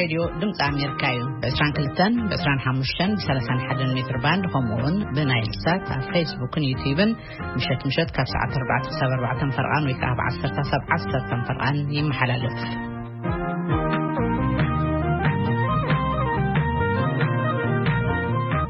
ሬድዮ ድምፂ ኣሜሪካ እዩ። ብ22፣ ብ25፣ ብ31 ሜትር ባንድ፣ ከምኡ እውን ብናይል ሳት ኣብ ፌስቡክን ዩቲዩብን ምሸት ምሸት ካብ ሰዓት ኣርባዕተ ክሳብ ኣርባዕተን ፈርቓን ወይ ከዓ ብ ዓሰርተ ክሳብ ዓሰርተን ፈርቓን ይመሓላለፍ።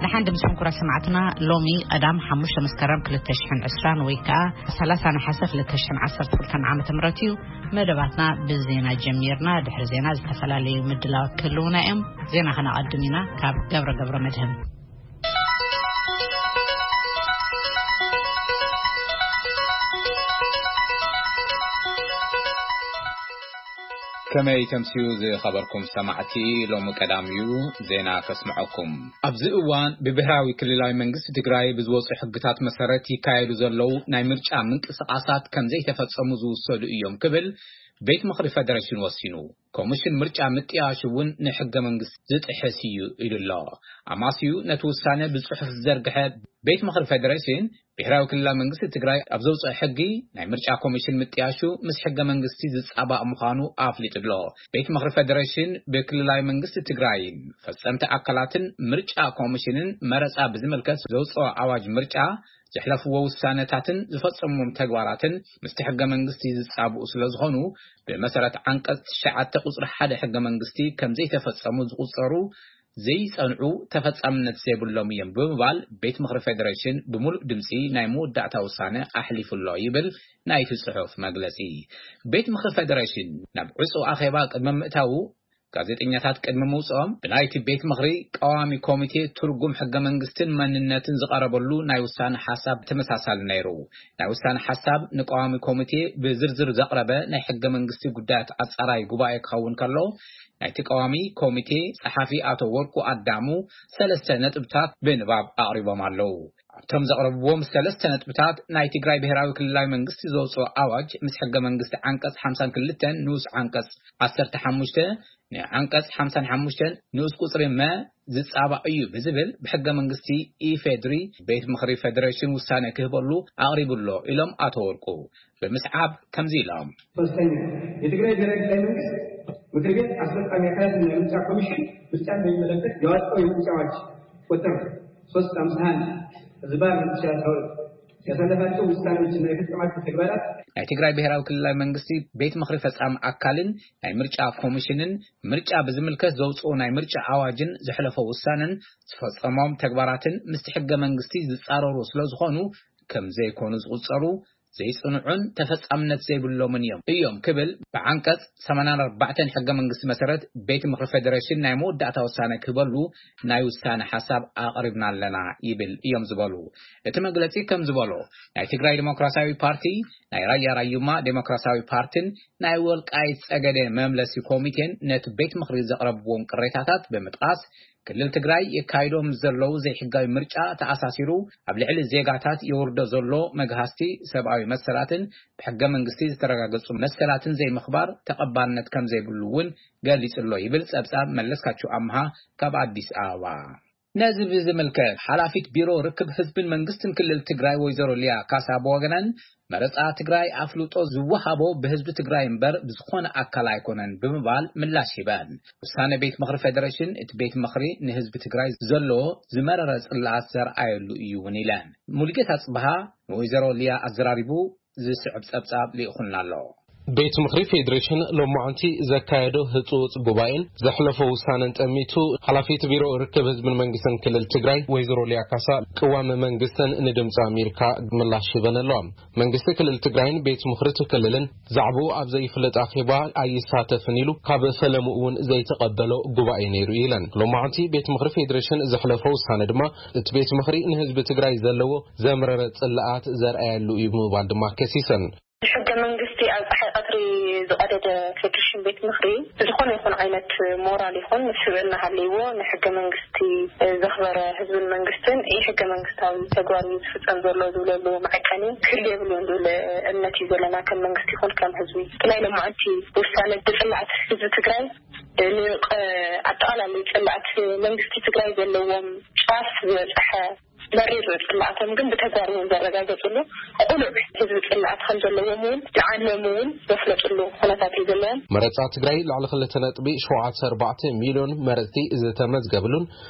ደሓን ድምፅኩም ክቡራት ሰማዕትና፣ ሎሚ ቀዳም ሓሙሽተ መስከረም ክልተ ሽሕን ዕስራን ወይ ከዓ ሰላሳ ነሓሰ ክልተ ሽሕን ዓሰርተ ክልተን ዓመተ ምህረት እዩ። መደባትና ብዜና ጀሚርና። ድሕሪ ዜና ዝተፈላለዩ ምድላዋት ክህልውና እዮም። ዜና ከነቐድም ኢና። ካብ ገብረ ገብረ መድህን። ከመይ ተምስዩ ዝኸበርኩም ሰማዕቲ፣ ሎሚ ቀዳም እዩ ዜና ከስምዐኩም። ኣብዚ እዋን ብብሔራዊ ክልላዊ መንግስቲ ትግራይ ብዝወፁ ሕግታት መሰረት ይካየዱ ዘለዉ ናይ ምርጫ ምንቅስቃሳት ከም ዘይተፈጸሙ ዝውሰዱ እዮም ክብል ቤት ምኽሪ ፌደሬሽን ወሲኑ። ኮሚሽን ምርጫ ምጥያሽ እውን ንሕገ መንግስቲ ዝጥሕስ እዩ ኢሉ ኣሎ። ኣማስዩ ነቲ ውሳነ ብጽሑፍ ዝዘርግሐ ቤት ምኽሪ ፌደሬሽን፣ ብሔራዊ ክልላዊ መንግስቲ ትግራይ ኣብ ዘውፅኦ ሕጊ ናይ ምርጫ ኮሚሽን ምጥያሹ ምስ ሕገ መንግስቲ ዝጻባእ ምዃኑ ኣፍሊጡ ኣሎ። ቤት ምኽሪ ፌደሬሽን ብክልላዊ መንግስቲ ትግራይን ፈጸምቲ ኣካላትን ምርጫ ኮሚሽንን መረጻ ብዝምልከት ዘውፅኦ ኣዋጅ ምርጫ፣ ዘሕለፍዎ ውሳነታትን ዝፈጸምዎም ተግባራትን ምስቲ ሕገ መንግስቲ ዝጻብኡ ስለ ዝኾኑ፣ ብመሰረት ዓንቀጽ ትሽዓተ ቁጽሪ ሓደ ሕገ መንግስቲ ከም ዘይተፈጸሙ ዝቑጸሩ ዘይጸንዑ ተፈጻምነት ዘይብሎም እዮም ብምባል ቤት ምኽሪ ፌደሬሽን ብምሉእ ድምጺ ናይ መወዳእታ ውሳነ ኣሕሊፉ ኣሎ ይብል ናይቲ ጽሑፍ መግለጺ። ቤት ምኽሪ ፌደሬሽን ናብ ዕጹው ኣኼባ ቅድሚ ምእታዉ፣ ጋዜጠኛታት ቅድሚ ምውጽኦም ብናይቲ ቤት ምኽሪ ቀዋሚ ኮሚቴ ትርጉም ሕገ መንግስትን መንነትን ዝቐረበሉ ናይ ውሳነ ሓሳብ ተመሳሳሊ ነይሩ። ናይ ውሳነ ሓሳብ ንቀዋሚ ኮሚቴ ብዝርዝር ዘቕረበ ናይ ሕገ መንግስቲ ጉዳያት ኣጻራይ ጉባኤ ክኸውን ከሎ፣ ናይቲ ቀዋሚ ኮሚቴ ጸሓፊ ኣቶ ወርቁ ኣዳሙ ሰለስተ ነጥብታት ብንባብ ኣቕሪቦም ኣለዉ። ኣብቶም ዘቕረብዎም ሰለስተ ነጥብታት፣ ናይ ትግራይ ብሔራዊ ክልላዊ መንግስቲ ዘውፅኦ ኣዋጅ ምስ ሕገ መንግስቲ ዓንቀጽ ሓምሳን ክልተን ንኡስ ዓንቀጽ ዓሰርተ ሓሙሽተ ንዓንቀጽ ሓምሳን ሓሙሽተን ንኡስ ቁጽሪ መ ዝጻባእ እዩ ብዝብል ብሕገ መንግስቲ ኢፌድሪ ቤት ምኽሪ ፌዴሬሽን ውሳነ ክህበሉ ኣቕሪቡ ኣሎ ኢሎም ኣቶ ወርቁ። ብምስዓብ ከምዚ ኢሎም። ሶስተኛ፣ የትግራይ ብሔራዊ ክልላዊ መንግስት ምክር ቤት አስፈጻሚ አካላት እና የምርጫ ኮሚሽን ምርጫን በሚመለከት ያወጣው የምርጫ አዋጅ ቁጥር ሶስት አምሳ አንድ ህዝባር ሁለት ሺህ አስራ ሁለት ያሳለፋቸው ውሳኔዎችና የፈጸማቸው ተግባራት ናይ ትግራይ ብሔራዊ ክልላዊ መንግስቲ ቤት ምኽሪ ፈጻሚ ኣካልን ናይ ምርጫ ኮሚሽንን ምርጫ ብዝምልከት ዘውፅኡ ናይ ምርጫ ኣዋጅን ዘሕለፎ ውሳነን ዝፈጸሞም ተግባራትን ምስቲ ሕገ መንግስቲ ዝጻረሩ ስለ ዝኾኑ ከም ዘይኮኑ ዝቑጸሩ ዘይጽንዑን ተፈጻምነት ዘይብሎምን እዮም እዮም ክብል ብዓንቀጽ ሰማንያን ኣርባዕተን ሕገ መንግስቲ መሰረት ቤት ምኽሪ ፌዴሬሽን ናይ መወዳእታ ውሳነ ክህበሉ ናይ ውሳነ ሓሳብ ኣቕሪብና ኣለና ይብል እዮም ዝበሉ። እቲ መግለጺ ከም ዝበሎ፣ ናይ ትግራይ ዲሞክራሲያዊ ፓርቲ፣ ናይ ራያ ራዩማ ዲሞክራሲያዊ ፓርቲን ናይ ወልቃይት ጸገዴ መምለሲ ኮሚቴን ነቲ ቤት ምኽሪ ዘቕረብዎም ቅሬታታት ብምጥቃስ፣ ክልል ትግራይ የካይዶም ዘለዉ ዘይሕጋዊ ምርጫ ተኣሳሲሩ ኣብ ልዕሊ ዜጋታት የውርዶ ዘሎ መግሃስቲ ሰብኣዊ መሰላትን ብሕገ መንግስቲ ዝተረጋገጹ መሰላትን ዘይምኽባር ተቐባልነት ከም ዘይብሉ እውን ገሊጹ ኣሎ ይብል ጸብጻብ መለስካቸው ኣምሃ ካብ ኣዲስ ኣበባ። ነዚ ብዝምልከት ሓላፊት ቢሮ ርክብ ህዝብን መንግስትን ክልል ትግራይ ወይዘሮ ሊያ ካሳ ብወገነን መረጻ ትግራይ ኣፍልጦ ዝወሃቦ ብህዝቢ ትግራይ እምበር ብዝኾነ ኣካል ኣይኮነን ብምባል ምላሽ ሂበን። ውሳነ ቤት ምኽሪ ፌዴሬሽን እቲ ቤት ምኽሪ ንህዝቢ ትግራይ ዘለዎ ዝመረረ ጽልኣት ዘርኣየሉ እዩ እውን ኢለን። ሙሉጌታ ጽብሃ ንወይዘሮ ሊያ ኣዘራሪቡ ዝስዕብ ጸብጻብ ልኢኹልና ኣሎ። ቤት ምኽሪ ፌዴሬሽን ሎማዓንቲ ዘካየዶ ህጹጽ ጉባኤን ዘሕለፎ ውሳነን ጠሚቱ ሓላፊት ቢሮ ርክብ ህዝብን መንግስትን ክልል ትግራይ ወይዘሮ ሊያ ካሳ ቅዋም መንግስትን ንድምፂ ኣሜሪካ ምላሽ ሂበን ኣለዋ። መንግስቲ ክልል ትግራይን ቤት ምኽሪ እቲ ክልልን ዛዕባኡ ኣብ ዘይፍለጥ ኣኼባ ኣይሳተፍን ኢሉ ካብ ፈለሙ እውን ዘይተቐበሎ ጉባኤ ነይሩ ኢለን። ሎማዓንቲ ቤት ምኽሪ ፌዴሬሽን ዘሕለፎ ውሳነ ድማ እቲ ቤት ምኽሪ ንህዝቢ ትግራይ ዘለዎ ዘምረረ ጽልኣት ዘርኣየሉ እዩ ብምባል ድማ ከሲሰን። ሕገ መንግስቲ ኣብ ፀሓይ ቀትሪ ዝቐደደ ፌዴሬሽን ቤት ምኽሪ ዝኾነ ይኹን ዓይነት ሞራል ይኹን ስብእና ሃለይዎ ንሕገ መንግስቲ ዘኽበረ ህዝብን መንግስትን ኢ ሕገ መንግስታዊ ተግባር እዩ ዝፍፀም ዘሎ ዝብለሉ መዐቀኒ ክህሉ የብሉን ዝብል እምነት እዩ ዘለና። ከም መንግስቲ ይኹን ከም ህዝቢ ብናይ ሎማዓንቲ ውሳነ ብፅላኣት ህዝቢ ትግራይ ንቀ-፣ ኣጠቓላሊ ፅላኣት መንግስቲ ትግራይ ዘለዎም ጫፍ ዝበፀሐ መሪር ጽላኣቶም ግን ብተግባር እውን ዘረጋገጽሉ፣ ቁሉዕ ህዝቢ ጽላኣት ከም ዘለዎም እውን ንዓለም እውን ዘፍለጥሉ ኩነታት እዩ ዘለዎም። መረጻ ትግራይ ልዕሊ ክልተ ነጥቢ ሸውዓተ ኣርባዕተ ሚልዮን መረጽቲ ዝተመዝገብሉን፣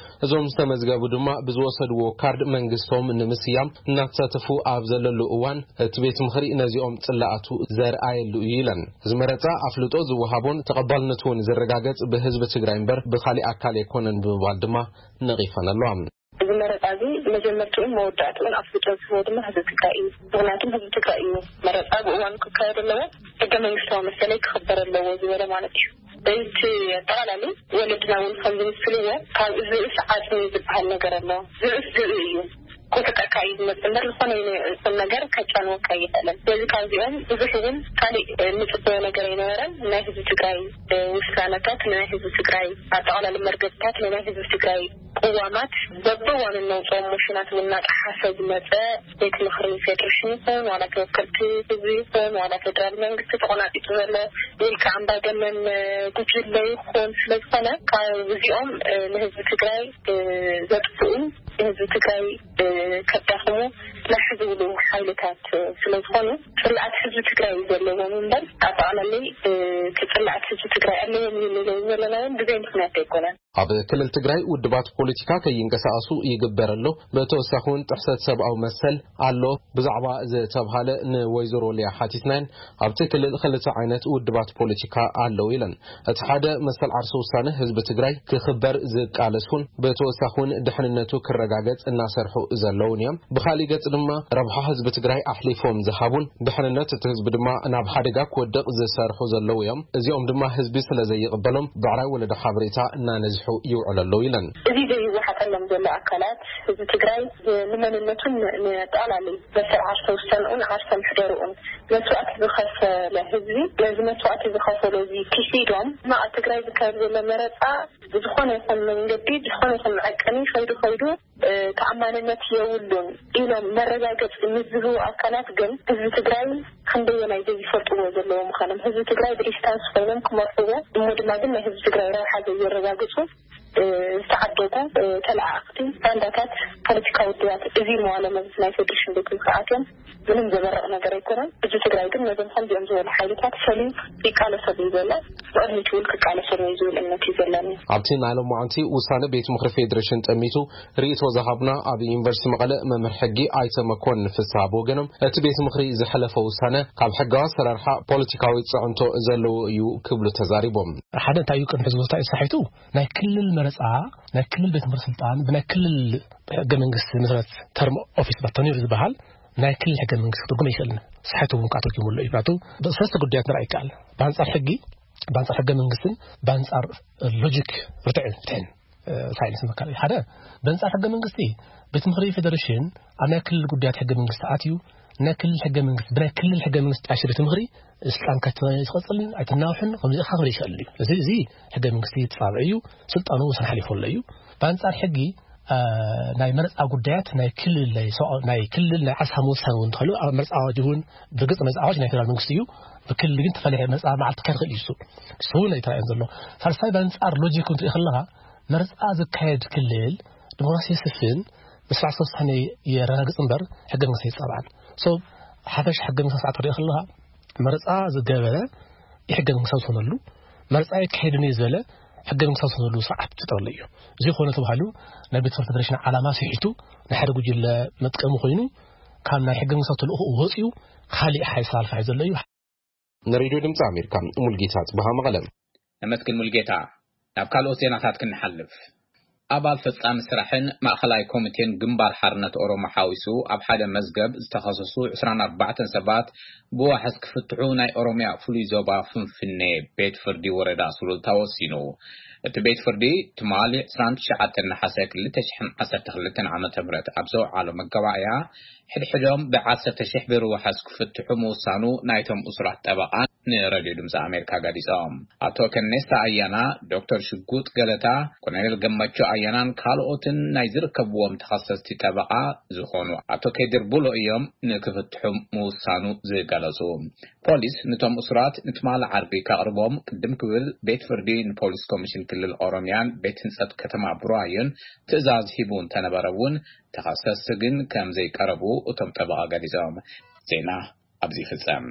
እዞም ዝተመዝገቡ ድማ ብዝወሰድዎ ካርድ መንግስቶም ንምስያም እናተሳተፉ ኣብ ዘለሉ እዋን፣ እቲ ቤት ምኽሪ ነዚኦም ጽላኣቱ ዘርኣየሉ እዩ ኢለን። እዚ መረጻ ኣፍልጦ ዝወሃቦን ተቐባልነቱ እውን ዝረጋገጽ ብህዝቢ ትግራይ እምበር ብኻሊእ ኣካል ኣይኮነን ብምባል ድማ ነቒፈን ኣለዋ። እዚ መረጻ እዚ መጀመርትኡን መወዳእትኡን ኣፍልጦ ዝህቦ ድማ ህዝቢ ትግራይ እዩ። ምኽንያቱም ህዝቢ ትግራይ እዩ መረጻ ብእዋኑ ክካየድ ኣለዎ፣ ሕገ መንግስታዊ መሰለይ ክኽበር ኣለዎ ዝበለ ማለት እዩ። በቲ ኣጠቓላሊ ወለድና እውን ከም ዝምስልዎ ካብ ዝብእስ ዓጽሚ ዝበሃል ነገር ኣሎ። ዝብእስ ዝብኢ እዩ። ክውሕጠካ እዩ ዝመጽእ እምበር ዝኾነ ይኹን ነገር ከጫንወካ ኣይኽእልን። ስለዚ ካብዚኦም ብዙሕ እውን ካሊእ እንጽበዮ ነገር ኣይነበረን። ናይ ህዝቢ ትግራይ ውሳነታት፣ ናይ ህዝቢ ትግራይ ኣጠቓላሊ መርገጽታት፣ ናይ ህዝቢ ትግራይ ቅዋማት በብእዋኑ እነውፅኦም ሞሽናት እውን እናጠሓሰ ዝመፀ ቤት ምኽሪ ፌዴሬሽን ይኹን ዋላ ተወከልቲ ህዝቢ ይኹን ዋላ ፌዴራል መንግስቲ ተቆናጢጡ ዘሎ ውልቀ ኣምባገነን ጉጅለ ይኹን ስለዝኾነ ካብ እዚኦም ንህዝቢ ትግራይ ዘጥፍኡ ንህዝቢ ትግራይ ከዳኽሙ ላሕ ዝብሉ ሓይልታት ስለዝኾኑ ፅልኣት ህዝቢ ትግራይ እዩ ዘለዎም እምበር ኣጠቓላሊ እቲ ፅልኣት ህዝቢ ትግራይ ኣለዎም እዩ ንብል ዘለና እውን ብዘይ ምኽንያት ኣይኮነን። ኣብ ክልል ትግራይ ውድባት ፖለቲካ ከይንቀሳቐሱ ይግበር ኣሎ። ብተወሳኺ እውን ጥሕሰት ሰብኣዊ መሰል ኣሎ ብዛዕባ ዝተብሃለ ንወይዘሮ ሊያ ሓቲትናየን ኣብቲ ክልል ክልተ ዓይነት ውድባት ፖለቲካ ኣለዉ ኢለን። እቲ ሓደ መሰል ዓርሰ ውሳነ ህዝቢ ትግራይ ክኽበር ዝቃለሱን ብተወሳኺ እውን ድሕንነቱ ክረጋገጽ እናሰርሑ ዘለውን እዮም። ብኻሊእ ገጽ ድማ ረብሓ ህዝቢ ትግራይ ኣሕሊፎም ዝሃቡን ድሕንነት እቲ ህዝቢ ድማ ናብ ሓደጋ ክወድቕ ዝሰርሑ ዘለዉ እዮም። እዚኦም ድማ ህዝቢ ስለ ዘይቕበሎም ብዕራይ ወለዶ ሓበሬታ እናነዝሑ ይውዕሉ ኣለዉ ኢለን። እዚ ዘይወሓጠሎም ዘሎ ኣካላት ህዝቢ ትግራይ ንመንነቱን ንጠቕላሊ መሰል ዓርሰ ውሳንኡን ዓርሰ ምሕደርኡን መስዋእቲ ዝኸፈለ ህዝቢ ነዚ መስዋእቲ ዝኸፈሎ እዚ ክሒዶም ኣብ ትግራይ ዝካየድ ዘሎ መረፃ ብዝኾነ ይኹን መንገዲ ብዝኾነ ይኹን መዐቀኒ ከይዱ ከይዱ ተኣማንነት የብሉን ኢሎም መረጋገፂ ምስ ዝህቡ ኣካላት ግን ህዝቢ ትግራይ ክንደየናይ ዘይፈልጥዎ ዘለዎ ምዃኖም ህዝቢ ትግራይ ብዲስታንስ ኮይኖም ክመርሕዎ እሞ ድማ ግን ናይ ህዝቢ ትግራይ ረብሓ ዘየረጋግፁ ዝተዓደጉ ተለኣኣኽቲ ባንዳታት ፖለቲካዊ ውድባት እዚ መዋለ መብት ናይ ፌዴሬሽን ቤት ምኽሪ ኣትዮም ምንም ዘበርቕ ነገር ኣይኮነን። ህዝቢ ትግራይ ግን ነዞም ከምዚኦም ዝበሉ ሓይልታት ሰሊም ይቃለሰሉ እዩ ዘሎ። ብቕድሚት እውን ክቃለሰሉ እዩ ዝብል እምነት እዩ ዘለኒ። ኣብቲ ናይ ሎማዓንቲ ውሳነ ቤት ምኽሪ ፌዴሬሽን ጠሚቱ ርእይቶ ዝሃቡና ኣብ ዩኒቨርሲቲ መቐለ መምህር ሕጊ ኣይተ መኮንን ፍስሃ ብወገኖም እቲ ቤት ምኽሪ ዝሐለፎ ውሳነ ካብ ሕጋዊ ኣሰራርሓ ፖለቲካዊ ፅዕንቶ ዘለዎ እዩ ክብሉ ተዛሪቦም። ሓደ እንታይ እዩ ቅድሚ ሕዚ ወስታ እዩ ሳሒቱ ናይ ክልል መረፃ ናይ ክልል ቤት ምኽሪ ስልጣን ብናይ ክልል ሕገ መንግስቲ መሰረት ተርም ኦፊስ ባቶ ነይሩ ዝበሃል ናይ ክልል ሕገ መንግስቲ ክትርጉም ኣይኽእልን። ሳሒቱ እውን ከዓ ተርጉሙ ኣሎ እዩ። ምክንያቱ ብሰለስተ ጉዳያት ንርኣ ይከኣል። ብኣንፃር ሕጊ፣ ብኣንፃር ሕገ መንግስትን ብኣንፃር ሎጂክ ርትዕ ፍትሕን ሳይንስ መካል ሓደ በንፃር ሕገ መንግስቲ ቤት ምኽሪ ፌደሬሽን ኣብ ናይ ክልል ጉዳያት ሕገ መንግስቲ ኣትዩ ናይ ክልል ሕገ መንግስቲ ብናይ ክልል ሕገ መንግስቲ ጣይሸ ቤት ምኽሪ ስልጣን ከትመ ዝቐፅልን ኣይትናውሕን ከምዚ ኢኻ ክብል ይኽእል እዩ። እዚ እዚ ሕገ መንግስቲ ተፃብዒ እዩ። ስልጣኑ ወሰን ሓሊፉ ኣሎ እዩ። ብኣንፃር ሕጊ ናይ መረፃ ጉዳያት ናይ ክልል ናይ ሰብኣዊ ናይ ክልል ናይ ዓሳ ምውሳን እውን እንተኽእሉ ኣብ መረፃ ኣዋጅ እውን ብርግፅ መረፃ ኣዋጅ ናይ ፌደራል መንግስቲ እዩ። ብክልል ግን ተፈለየ መረፃ መዓልቲ ክካየድ ይኽእል እዩ። እሱ እሱ እውን ኣይተራእየን ዘሎ። ሳልሳይ ብኣንፃር ሎጂክ እንትሪኦ ከለኻ መረፃ ዝካየድ ክልል ዲሞክራሲ የስፍን መስዋዕቲ ውሳኔ የረጋግፅ እምበር ሕገ መንግስቲ ኣይፃባዕን። ሶ ሓፈሽ ሕገ መንግስቲ ስርዓት ክሪኦ ከለኻ መረፃ ዝገበረ ሕገ መንግስታዊ ዝኾነሉ መረፃ የካሄድን እዩ ዝበለ ሕገ መንግስታዊ ዝኾነሉ ስርዓት ዝጠቕልል እዩ። እዚ ዝኾነ ተባሂሉ ናይ ቤት ፍርዲ ፌደሬሽን ዓላማ ስሒቱ ናይ ሓደ ጉጅለ መጥቀሚ ኮይኑ ካብ ናይ ሕገ መንግስታዊ ተልእኾ ወፂኡ ካሊእ ሓይል ሰላልፋ እዩ ዘሎ እዩ። ንሬድዮ ድምፂ ኣሜሪካ ሙልጌታ ጽብሃ መቐለ። ነመስግን ሙልጌታ። ናብ ካልኦት ዜናታት ክንሓልፍ። ኣባል ፈጻሚ ስራሕን ማእኸላይ ኮሚቴን ግንባር ሓርነት ኦሮሞ ሓዊሱ ኣብ ሓደ መዝገብ ዝተኸሰሱ ዕስራን ኣርባዕተን ሰባት ብዋሕስ ክፍትሑ ናይ ኦሮምያ ፍሉይ ዞባ ፍንፍኔ ቤት ፍርዲ ወረዳ ሱሉልታ ወሲኑ። እቲ ቤት ፍርዲ ትማሊ ዕስራን ትሽዓተን ነሓሰ ክልተ ሽሕን ዓሰርተ ክልተን ዓመተ ምህረት ኣብ ዘውዓሎ መጋባእያ ሕድሕዶም ብዓሰርተ ሽሕ ብር ዋሕስ ክፍትሑ ምውሳኑ ናይቶም እሱራት ጠበቓን ንሬድዮ ድምፂ ኣሜሪካ ገሊፆም። ኣቶ ከኔሳ ኣያና፣ ዶክተር ሽጉጥ ገለታ፣ ኮሎኔል ገመቹ ኣያናን ካልኦትን ናይ ዝርከብዎም ተኸሰስቲ ጠበቓ ዝኾኑ ኣቶ ከድር ቡሎ እዮም ንክፍትሑ ምውሳኑ ዝገለጹ። ፖሊስ ንቶም እሱራት ንትማሊ ዓርቢ ከቕርቦም ቅድም ክብል ቤት ፍርዲ ንፖሊስ ኮሚሽን ክልል ኦሮሚያን ቤት ህንጸት ከተማ ቡራዩን ትእዛዝ ሂቡ እንተነበረ እውን ተኸሰስቲ ግን ከም ዘይቀረቡ እቶም ጠበቓ ገሊጾም። ዜና ኣብዚ ይፍጸም።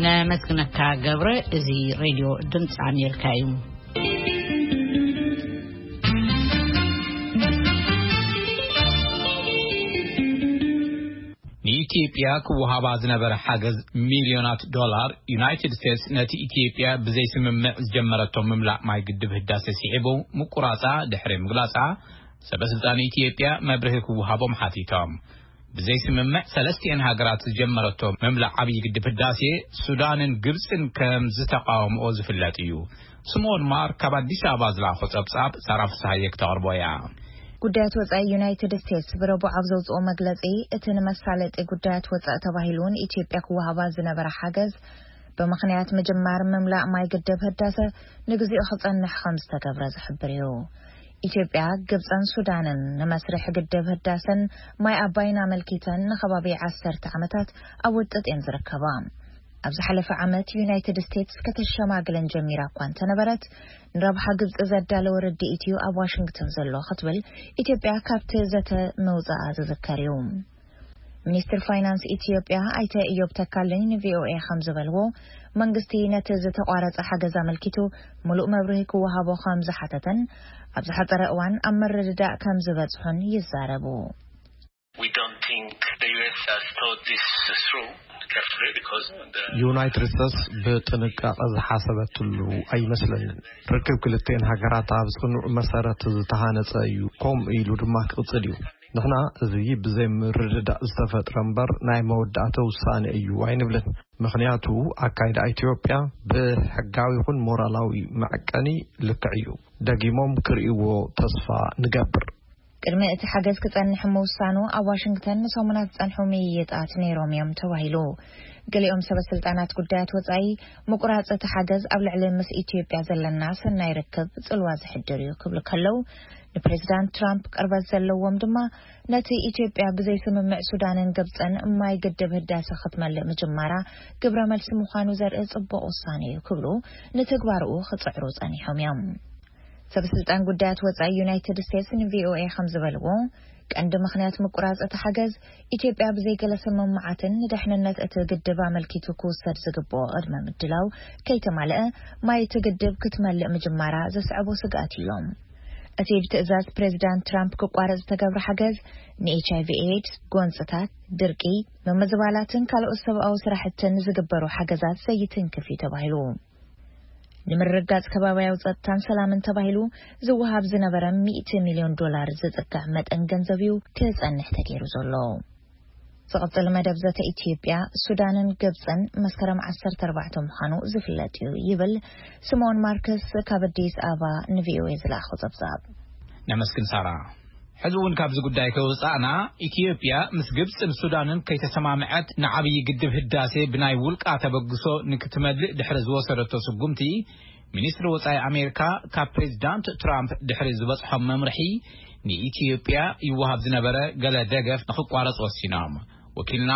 ነመስግነካ ገብረ። እዚ ሬድዮ ድምፂ ኣሜሪካ እዩ። ንኢትዮጵያ ክወሃባ ዝነበረ ሓገዝ ሚልዮናት ዶላር፣ ዩናይትድ ስቴትስ ነቲ ኢትዮጵያ ብዘይ ስምምዕ ዝጀመረቶ ምምላእ ማይ ግድብ ህዳሴ ስዒቡ ምቁራጻ ድሕሪ ምግላጻ፣ ሰበ ስልጣን ኢትዮጵያ መብርሂ ክወሃቦም ሓቲቶም። ብዘይ ስምምዕ ሰለስቲኤን ሃገራት ዝጀመረቶ ምምላእ ዓብዪ ግድብ ህዳሴ ሱዳንን ግብፅን ከም ዝተቃወምኦ ዝፍለጥ እዩ። ስምኦን ማር ካብ ኣዲስ ኣበባ ዝለኣኾ ጸብጻብ ሳራ ፍስሃየ ክተቕርቦ እያ። ጉዳያት ወጻኢ ዩናይትድ ስቴትስ ብረቡዕ ኣብ ዘውጽኦ መግለጺ፣ እቲ ንመሳለጢ ጉዳያት ወጻኢ ተባሂሉ ንኢትዮጵያ ክወሃባ ዝነበረ ሓገዝ ብምኽንያት ምጅማር ምምላእ ማይ ግድብ ህዳሰ ንግዚኡ ክጸንሕ ከም ዝተገብረ ዝሕብር እዩ። ኢትዮጵያ፣ ግብጽን ሱዳንን ንመስርሕ ግድብ ህዳሰን ማይ ኣባይን ኣመልኪተን ንኸባቢ ዓሰርተ ዓመታት ኣብ ውጥጥ እየን ዝርከባ። ኣብ ዝሓለፈ ዓመት ዩናይትድ ስቴትስ ከተሸማግለን ጀሚራ እኳ እንተነበረት፣ ንረብሓ ግብጺ ዘዳለወ ርድኢት እዩ ኣብ ዋሽንግተን ዘሎ ክትብል ኢትዮጵያ ካብቲ ዘተ ምውጻኣ ዝዝከር እዩ። ሚኒስትር ፋይናንስ ኢትዮጵያ ኣይተ እዮብ ተካልኝ ንቪኦኤ ከም ዝበልዎ፣ መንግስቲ ነቲ ዝተቋረጸ ሓገዝ ኣመልኪቱ ምሉእ መብርሂ ክወሃቦ ከም ዝሓተተን ኣብ ዝሓጸረ እዋን ኣብ ምርድዳእ ከም ዝበጽሑን ይዛረቡ። We don't think the U S has thought this through carefully because the ዩናይትድ ስቴትስ ብጥንቃቐ ዝሓሰበትሉ ኣይመስለንን። ርክብ ክልቲኤን ሃገራት ኣብ ጽኑዕ መሰረት ዝተሃነጸ እዩ፣ ከምኡ ኢሉ ድማ ክቕጽል እዩ። ንሕና እዚ ብዘይ ምርድዳእ ዝተፈጥረ እምበር ናይ መወዳእታ ውሳነ እዩ ኣይንብልን። ምኽንያቱ ኣካይዳ ኢትዮጵያ ብሕጋዊ ይኹን ሞራላዊ መዐቀኒ ልክዕ እዩ። ደጊሞም ክርእይዎ ተስፋ ንገብር። ቅድሚ እቲ ሓገዝ ክጸንሕ ምውሳኑ ኣብ ዋሽንግተን ንሰሙናት ዝጸንሑ ምይይጣት ነይሮም እዮም ተባሂሉ። ገሊኦም ሰበ ስልጣናት ጉዳያት ወጻኢ ምቁራጽ እቲ ሓገዝ ኣብ ልዕሊ ምስ ኢትዮጵያ ዘለና ሰናይ ርክብ ጽልዋ ዝሕድር እዩ ክብሉ ከለዉ፣ ንፕሬዚዳንት ትራምፕ ቅርበት ዘለዎም ድማ ነቲ ኢትዮጵያ ብዘይ ስምምዕ ሱዳንን ግብጽን ማይ ግድብ ህዳሰ ክትመልእ ምጅማራ ግብረ መልሲ ምዃኑ ዘርኢ ጽቡቕ ውሳነ እዩ ክብሉ ንትግባርኡ ክጽዕሩ ጸኒሖም እዮም። ሰበ ስልጣን ጉዳያት ወጻኢ ዩናይትድ ስቴትስ ንቪኦኤ ከም ዝበልዎ፣ ቀንዲ ምኽንያት ምቁራጽ እቲ ሓገዝ ኢትዮጵያ ብዘይ ገለ ስምምዓትን ንድሕንነት እቲ ግድብ ኣመልኪቱ ክውሰድ ዝግብኦ ቅድመ ምድላው ከይተማልአ ማይ እቲ ግድብ ክትመልእ ምጅማራ ዘስዕቦ ስግኣት ኢሎም። እቲ ብትእዛዝ ፕሬዚዳንት ትራምፕ ክቋረጽ ዝተገብረ ሓገዝ ንኤች ኣይ ቪ ኤድስ፣ ጎንጽታት፣ ድርቂ፣ ምምዝባላትን ካልኦት ሰብኣዊ ስራሕትን ዝግበሩ ሓገዛት ዘይትንክፍ እዩ ተባሂሉ። ንምርግጋጽ ከባቢያዊ ጸጥታን ሰላምን ተባሂሉ ዝወሃብ ዝነበረ ሚእቲ ሚልዮን ዶላር ዝጽጋዕ መጠን ገንዘብ እዩ ክጸንሕ ተገይሩ ዘሎ። ዝቕጽል መደብ ዘተ ኢትዮጵያ፣ ሱዳንን ግብጽን መስከረም ዓሰርተ ኣርባዕተ ምዃኑ ዝፍለጥ እዩ ይብል ስምኦን ማርከስ ካብ ኣዲስ ኣበባ ንቪኦኤ ዝለኣኾ ጸብጻብ። ነመስግን ሳራ። ሕዚ እውን ካብዚ ጉዳይ ከይወጻእና፣ ኢትዮጵያ ምስ ግብጽን ሱዳንን ከይተሰማምዐት ንዓብዪ ግድብ ህዳሴ ብናይ ውልቃ ተበግሶ ንክትመልእ ድሕሪ ዝወሰደቶ ስጉምቲ፣ ሚኒስትሪ ወጻኢ ኣሜሪካ ካብ ፕሬዚዳንት ትራምፕ ድሕሪ ዝበጽሖም መምርሒ ንኢትዮጵያ ይወሃብ ዝነበረ ገለ ደገፍ ንክቋረጽ ወሲኖም። ወኪልና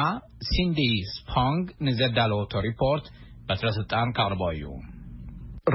ሲንዲ ስፖንግ ንዘዳለወቶ ሪፖርት በትረ ስልጣን ካቕርቦ እዩ።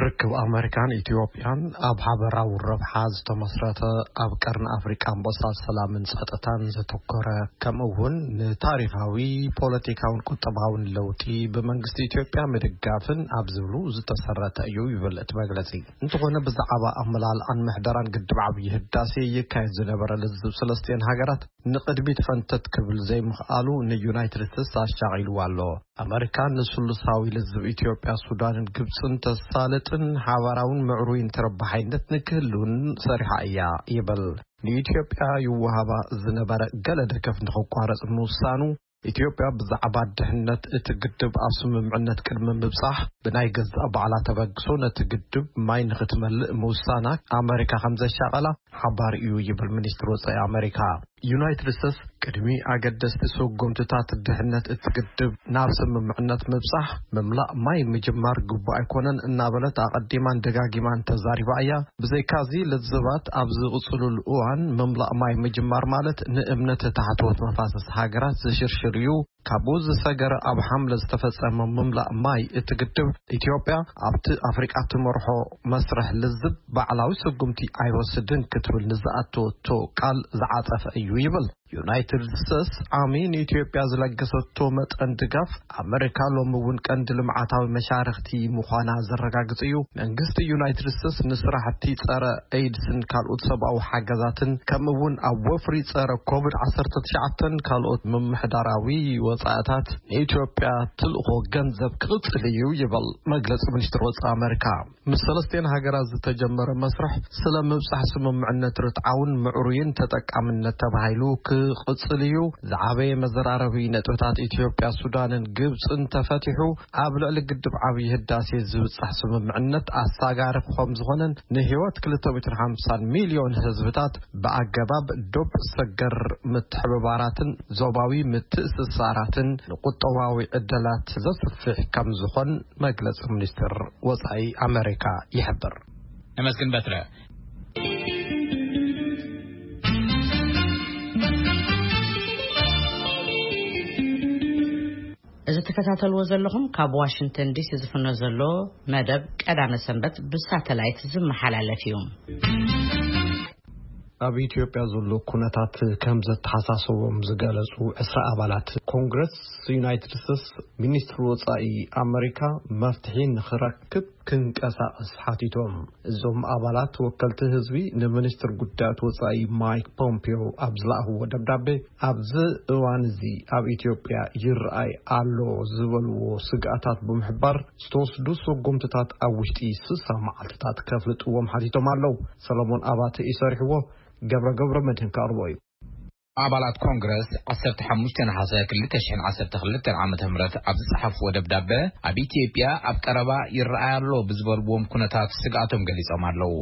ርክብ ኣመሪካን ኢትዮጵያን ኣብ ሓበራዊ ረብሓ ዝተመስረተ፣ ኣብ ቀርኒ ኣፍሪቃ ኣንበሳ ሰላምን ጸጥታን ዘተኮረ፣ ከምኡ እውን ንታሪኻዊ ፖለቲካውን ቁጠባውን ለውጢ ብመንግስቲ ኢትዮጵያ ምድጋፍን ኣብ ዝብሉ ዝተሰረተ እዩ ይብል እቲ መግለጺ። እንተኾነ ብዛዕባ ኣመላልኣን ምሕደራን ግድብ ዓብዪ ህዳሴ ይካየድ ዝነበረ ልዝብ ሰለስቲኤን ሃገራት ንቕድሚት ፈንተት ክብል ዘይምኽኣሉ ንዩናይትድ ስቴትስ ኣሻቒልዋ ኣሎ። ኣመሪካ ንስሉሳዊ ልዝብ ኢትዮጵያ፣ ሱዳንን ግብጽን ተሳልጥን ሓባራውን ምዕሩይን ተረባሓይነት ንክህልውን ሰሪሓ እያ ይብል። ንኢትዮጵያ ይወሃባ ዝነበረ ገለ ደገፍ ንክቋረጽ ምውሳኑ፣ ኢትዮጵያ ብዛዕባ ድሕነት እቲ ግድብ ኣብ ስምምዕነት ቅድሚ ምብጻሕ ብናይ ገዛእ ባዕላ ተበግሶ ነቲ ግድብ ማይ ንክትመልእ ምውሳና ኣመሪካ ከም ዘሻቐላ ሓባሪ እዩ ይብል ሚኒስትሪ ወጻኢ ኣመሪካ። ዩናይትድ ስቴትስ ቅድሚ ኣገደስቲ ስጉምትታት ድሕነት እቲ ግድብ ናብ ስምምዕነት ምብጻሕ፣ ምምላእ ማይ ምጅማር ግቡእ ኣይኮነን እናበለት ኣቐዲማን ደጋጊማን ተዛሪባ እያ። ብዘይካዚ፣ ልዝባት ኣብ ዝቕጽሉሉ እዋን፣ ምምላእ ማይ ምጅማር ማለት ንእምነት ታሕተዎት መፋሰስ ሃገራት ዝሽርሽር እዩ። ካብኡ ዝሰገረ፣ ኣብ ሓምለ ዝተፈጸመ ምምላእ ማይ እቲ ግድብ፣ ኢትዮጵያ ኣብቲ ኣፍሪቃ ትመርሖ መስርሕ ልዝብ ባዕላዊ ስጉምቲ ኣይወስድን ክትብል ንዝኣተወቶ ቃል ዝዓጸፈ እዩ ይብል። ዩናይትድ ስቴትስ ዓሚ ንኢትዮጵያ ዝለገሰቶ መጠን ድጋፍ፣ ኣመሪካ ሎሚ እውን ቀንዲ ልምዓታዊ መሻርኽቲ ምዃና ዘረጋግጽ እዩ። መንግስቲ ዩናይትድ ስቴትስ ንስራሕቲ ጸረ ኤድስን ካልኦት ሰብኣዊ ሓገዛትን፣ ከምኡ እውን ኣብ ወፍሪ ጸረ ኮቪድ ዓሰርተ ትሽዓተን ካልኦት ምምሕዳራዊ ወጻእታት ንኢትዮጵያ ትልእኾ ገንዘብ ክቕጽል እዩ ይብል መግለጺ ሚኒስትር ወጻኢ ኣመሪካ። ምስ ሰለስቲኤን ሃገራት ዝተጀመረ መስርሕ፣ ስለ ምብጻሕ ስምምዕነት ርትዓውን ምዕሩይን ተጠቃምነት ተባሂሉ ክቕጽል እዩ። ዝዓበየ መዘራረቢ ነጥብታት ኢትዮጵያ፣ ሱዳንን ግብጽን ተፈቲሑ፣ ኣብ ልዕሊ ግድብ ዓብዪ ህዳሴ ዝብጻሕ ስምምዕነት ኣሳጋሪ ከም ዝኾነን ንህይወት ክልተ ሚእትን ሓምሳን ሚልዮን ህዝብታት ብኣገባብ ዶብ ሰገር ምትሕብባራትን ዞባዊ ምትእስሳራትን ንቁጠባዊ ዕድላት ዘስፍሕ ከም ዝኾን መግለጺ ሚኒስትር ወጻኢ ኣመሪካ ይሕብር። ነመስግን በትረ። እዚ ትከታተልዎ ዘለኹም ካብ ዋሽንግተን ዲሲ ዝፍኖ ዘሎ መደብ ቀዳመ ሰንበት ብሳተላይት ዝመሓላለፍ እዩ። ኣብ ኢትዮጵያ ዘሎ ኩነታት ከም ዘተሓሳሰቦም ዝገለጹ ዕስራ ኣባላት ኮንግረስ ዩናይትድ ስቴትስ፣ ሚኒስትሪ ወጻኢ ኣመሪካ መፍትሒ ንኽረክብ ክንቀሳቐስ ሓቲቶም። እዞም ኣባላት ወከልቲ ህዝቢ ንሚኒስትር ጉዳያት ወጻኢ ማይክ ፖምፒዮ ኣብ ዝለኣኽዎ ደብዳቤ፣ ኣብዚ እዋን እዚ ኣብ ኢትዮጵያ ይረኣይ ኣሎ ዝበልዎ ስግኣታት ብምሕባር፣ ዝተወስዱ ስጉምትታት ኣብ ውሽጢ ስሳ መዓልትታት ከፍልጥዎም ሓቲቶም ኣለዉ። ሰለሞን ኣባተ እዩ ሰሪሕዎ፣ ገብረ ገብረ መድህን ከቕርቦ እዩ። ኣባላት ኮንግረስ ዓሰርተ ሓሙሽተ ነሓሰ ክልተ ሽሕን ዓሰርተ ክልተን ዓመተ ምህረት ኣብ ዝጸሓፍዎ ደብዳበ፣ ኣብ ኢትዮጵያ ኣብ ቀረባ ይረኣይ ኣሎ ብዝበልዎም ኩነታት ስግኣቶም ገሊጾም ኣለዉ።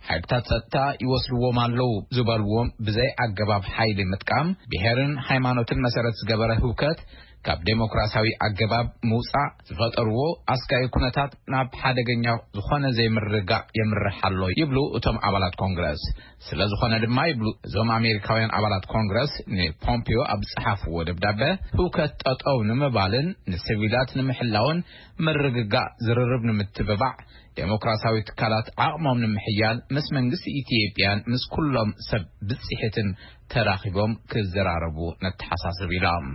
ሓይልታት ጸጥታ ይወስድዎም ኣለዉ ዝበልዎም ብዘይ ኣገባብ ሓይሊ ምጥቃም፣ ብሄርን ሃይማኖትን መሰረት ዝገበረ ህውከት፣ ካብ ዴሞክራሲያዊ ኣገባብ ምውጻእ ዝፈጠርዎ ኣስጋኢ ኩነታት ናብ ሓደገኛ ዝኾነ ዘይምርግጋእ የምርሕ ኣሎ ይብሉ እቶም ኣባላት ኮንግረስ። ስለ ዝኾነ ድማ ይብሉ እዞም ኣሜሪካውያን ኣባላት ኮንግረስ ንፖምፒዮ ኣብ ዝጸሓፍዎ ደብዳበ፣ ህውከት ጠጠው ንምባልን ንሲቪላት ንምሕላውን ምርግጋእ ዝርርብ ንምትብባዕ ዴሞክራሲያዊ ትካላት ዓቕሞም ንምሕያል ምስ መንግስቲ ኢትዮጵያን ምስ ኩሎም ሰብ ብጽሒትን ተራኺቦም ክዘራረቡ ነተሓሳስብ ኢሎም።